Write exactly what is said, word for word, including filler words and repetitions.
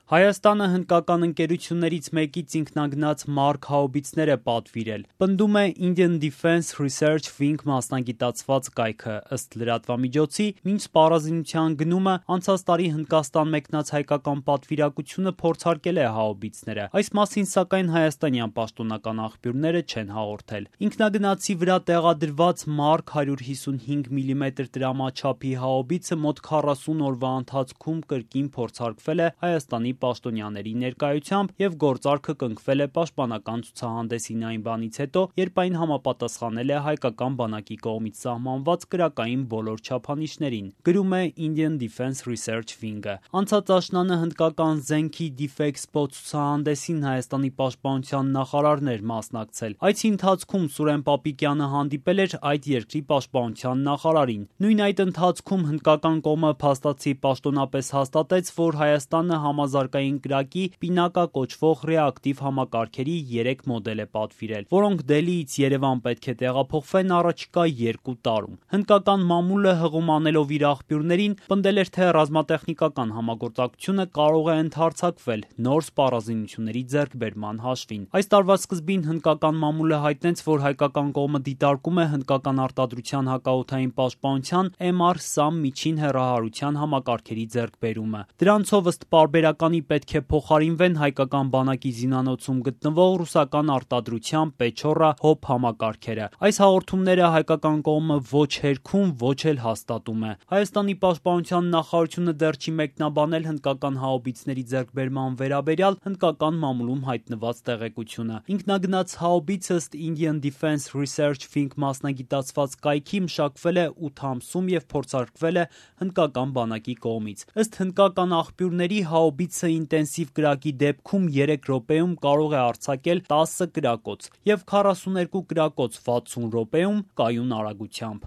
Հայաստանը հնդկական ընկերություններից մեկից ինքնագնաց Mark հաուբիցներ է պատվիրել, պնդում է Indian Defense Research Wing մասնագիտացված կայքը, ըստ լրատվամիջոցի, մինչ սպառազինության գնումը անցած տարի Հնդկաստան մեկնած հայկական պատվիրակությունը փորձարկել է հաուբիցները, այս մասին սակայն հայաստանյան պաշտոնական աղբյուրները չեն հաղորդել։ Ինքնագնացի վրա տեղադրված Mark one fifty-five millimeter տրամաչափի հաուբիցը մոտ քառասուն օրվա ընթացքում կրկին փորձարկվել է Հայաստանի պաշտոնյաների ներկայությամբ եւ գործարքը կնքվել է պաշտպանական ցուցահանդեսին այն բանից հետո, երբ այն համապատասխանել է հայկական բանակի կողմից սահմանված կրակային բոլոր չափանիշներին, գրում է Indian Defense Research Wing-ը։ Անցած աշնանը հնդկական զենքի Defexpo ցուցահանդեսին Հայաստանի պաշտպանության նախարարն էր մասնակցել։ Այցի ընթացքում Սուրեն Պապիկյանը հանդիպել էր այդ երկրի պաշտպանության նախարարին։ Նույն այդ ընթացքում հնդկական կողմը փաստացի պաշտոնապես հաստատեց, որ Հայաստանը համազարգային կրակի Պինակա կոչվող ռեակտիվ համակարգերի երեք մոդել է պատվիրել, որոնք Դելիից Երևան պետք է տեղափոխվեն առաջիկա երկու տարում։ Հնդկական մամուլը հղում անելով իր աղբյուրներին պնդել էր, թե ռազմատեխնիկական համագործակցությունը կարող է ընդհարձակվել նոր սպառազինությունների ձեռքբերման հաշվին։ Այս տարվա սկզբին հնդկական մամուլը հայտնեց, որ հայկական կողմը դիտարկում է հնդկական արտադրության հակաօդային պաշտպանության M R SAM միջին հեռահարության համակարգերի ձեռքբերումը։ Դրանցով ըստ պարբերականի պետք է փոխարինվեն հայկական բանակի զինանոցում գտնվող ռուսական արտադրության Pechora Hop համակարգերը։ Այս հաղորդումները հայկական կողմը ոչ հերքում, ոչ էլ հաստատում է։ Հայաստանի պաշտպանության նախարարությունը դեռ չի մեկնաբանել հնդկական հաուբիցների ձեռքբերման վերաբերյալ հնդկական մամուլում հայտնված տեղեկությունը։ Ինքնագնաց հաուբիցը ըստ Indian Defense Research Wing մասնագիտացված կայքի մշակվել է ութ ամսում եւ փորձարկվել է հնդկական բանակի կողմից։ Ըստ հնդկական աղբյուրների հաուբիցը ինտենսիվ կրակի դեպքում երեք րոպեում կարող է արձակել տասը կրակոց եւ քառասուներկու կրակոց վաթսուն րոպեում կայուն արագությամբ։